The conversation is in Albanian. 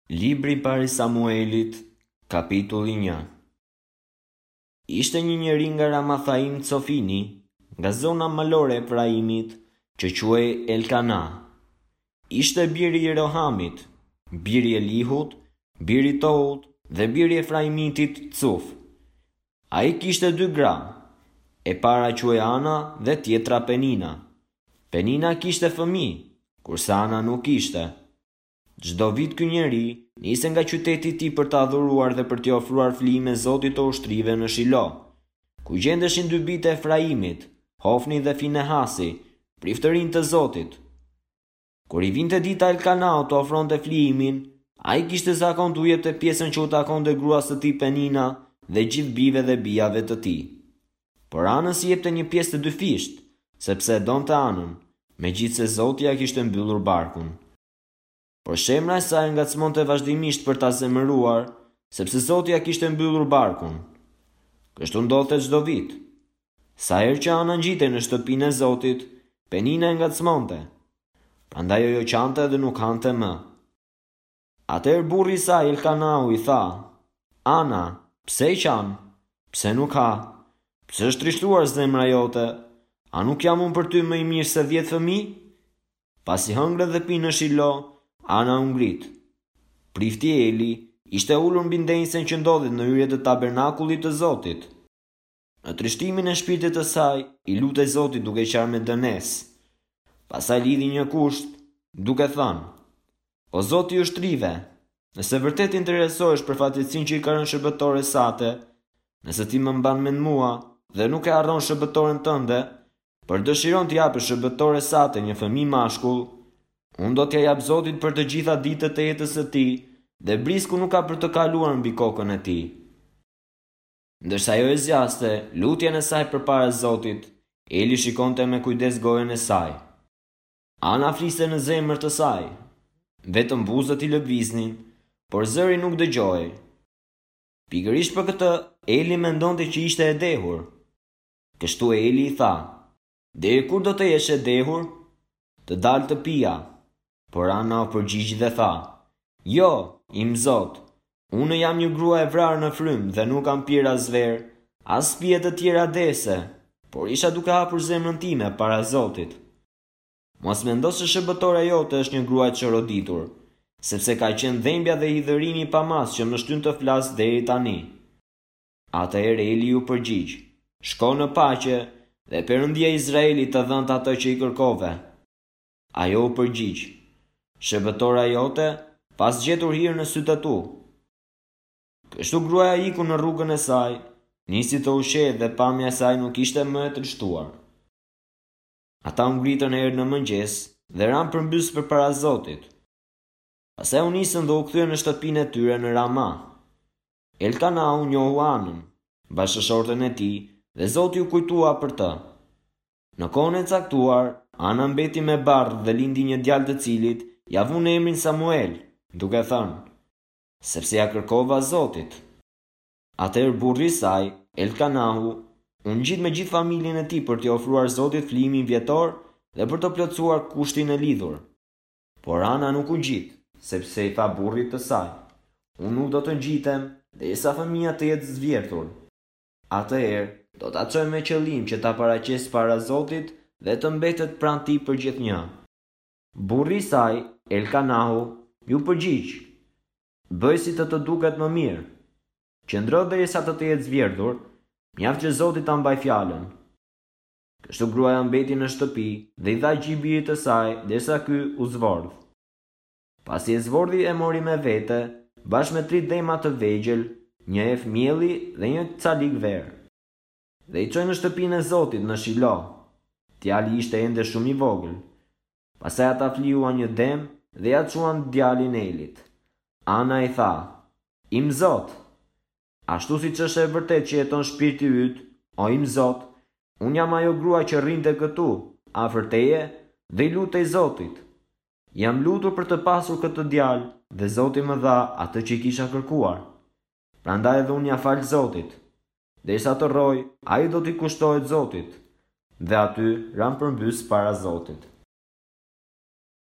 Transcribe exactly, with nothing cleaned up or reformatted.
Libri i parë i Samuelit, kapitulli një. Ishte një njeri nga Ramathaim Cofini, nga zona malore e Efraimit, që quhej Elkana. Ishte biri i Jerohamit, biri i Elihut, biri i Tohut dhe biri i Efraimitit Cuf. Ai kishte dy gra, e para quhej Ana dhe tjetra Penina. Penina kishte fëmijë, kurse Ana nuk kishte. Çdo vit ky njeri niste nga qyteti i tij për të adhuruar dhe për t'i ofruar flijime Zotit të ushtrive në Shilo, ku gjendeshin dy bijtë e Efraimit, Hofni dhe Finehasi, priftërinj të Zotit. Kur i vinte dita Elkanaut të ofronte flijimin, ai kishte zakon t'u jepte pjesën që u takonte gruas së tij Penina dhe gjithë bijve dhe bijave të tij. Por Anës i jepte një pjesë të dyfishtë, sepse e donte Anën, megjithëse Zoti ia kishte mbyllur barkun. Por shemra e saj ngacmonte vazhdimisht për ta zemëruar, sepse Zoti ia kishte mbyllur barkun. Kështu ndodhte çdo vit. Sa herë që Ana ngjitej në shtëpinë e Zotit, Penina e ngacmonte. Prandaj ajo qante dhe nuk hante më. Atëherë burri i saj Elkanau i tha: Ana, pse qan? Pse nuk ha? Pse është trishtuar zemra jote? A nuk jam unë për ty më i mirë se dhjetë fëmijë? Pasi hëngrën dhe pinë në Shilo, Ana u ngrit. Prifti Eli ishte ulur mbi ndenjësen që ndodhet në hyrje të tabernakullit të Zotit. Në trishtimin e shpirtit të saj, i lutej Zotit duke qarë me dënesë. Pastaj lidhi një kusht, duke thënë: O Zoti i ushtrive, nëse vërtet interesohesh për fatkeqësinë që i ka rënë shërbëtores sate, nëse ti më mban mend mua dhe nuk e harron shërbëtoren tënde, por dëshiron t'i japësh shërbëtores sate një fëmijë mashkull, unë do t'ja jap Zotit për të gjitha ditët e jetës së tij dhe brisku nuk ka për të kaluar mbi kokën e tij. Ndërsa ajo e zgjaste lutjen e saj përpara Zotit, Eli shikonte me kujdes gojën e saj. Ana fliste në zemër të saj, vetëm buzët i lëviznin, por zëri nuk dëgjohej. Pikërisht për këtë, Eli mendonte që ishte e dehur. Kështu Eli i tha: Deri kur do të jesh e dehur? Të dalë të pija. Por Ana u përgjigj dhe tha: Jo, im Zot, unë jam një grua e vrarë në frymë dhe nuk kam pirë as verë, as pije të tjera dese, por isha duke hapur zemrën time para Zotit. Mos mendo se shërbëtoria jote është një grua e çoroditur, sepse ka qenë dhembja dhe hidhërimi i pamas që më shtyn të flas deri tani. Atëherë Eli u përgjigj: Shko në paqe dhe Perëndia e Izraelit të dhëntë atë që i kërkove. Ajo u përgjigj: Shërbëtora jote pas gjetur hir në sytë e tu. Kështu gruaja iku në rrugën e saj, nisi të ushqehej dhe pamja e saj nuk ishte më e trishtuar. Ata u ngritën herë në mëngjes dhe ranë përmbys përpara Zotit. Pastaj u nisën dhe u kthyen në shtëpinë e tyre në Rama. Elkanau njohu Anën, bashkëshorten e tij, dhe Zoti u kujtua për të. Në kohën e caktuar, Ana mbeti me barrë dhe lindi një djalë të cilit ja vunë emrin Samuel, duke thënë: Sepse ja kërkova Zotit. Atëherë burri i saj, Elkanahu, u ngjit me gjithë familjen e tij për t'i ofruar Zotit flijimin vjetor dhe për të plotësuar kushtin e lidhur. Por Ana nuk u ngjit, sepse i tha burrit të saj: Unë nuk do të ngjitem derisa fëmia të jetë zvjerthur. Atëherë do ta çoj me qëllim që ta paraqes para Zotit dhe të mbetet pranë tij për gjithnjë. Burri i saj, Elkanahu, ju përgjigj: Bëj si të të duket më mirë. Qëndro derisa të të jetë zvjerdhur, mjaft që Zoti ta mbaj fjalën. Kështu gruaja mbeti në shtëpi dhe i dha gji birit të saj derisa ky u zvordh. Pasi e zvordhi e mori me vete, bashkë me tri dema të vegjël, një ef mielli dhe një calik verë. Dhe i çoi në shtëpinë e Zotit në Shilo. Djali ishte ende shumë i vogël. Pastaj ata flijuan një dem dhe ja çuan djalin Elit. Ana i tha: Im Zot, ashtu siç është e vërtet që jeton shpirti yt, o im Zot, unë jam ajo grua që rrinte këtu, afër teje, dhe i lutej Zotit. Jam lutur për të pasur këtë djalë dhe Zoti më dha atë që i kisha kërkuar. Prandaj edhe unë ja fal Zotit. Derisa të rroj, ai do t'i kushtohet Zotit. Dhe aty ranë përmbys para Zotit.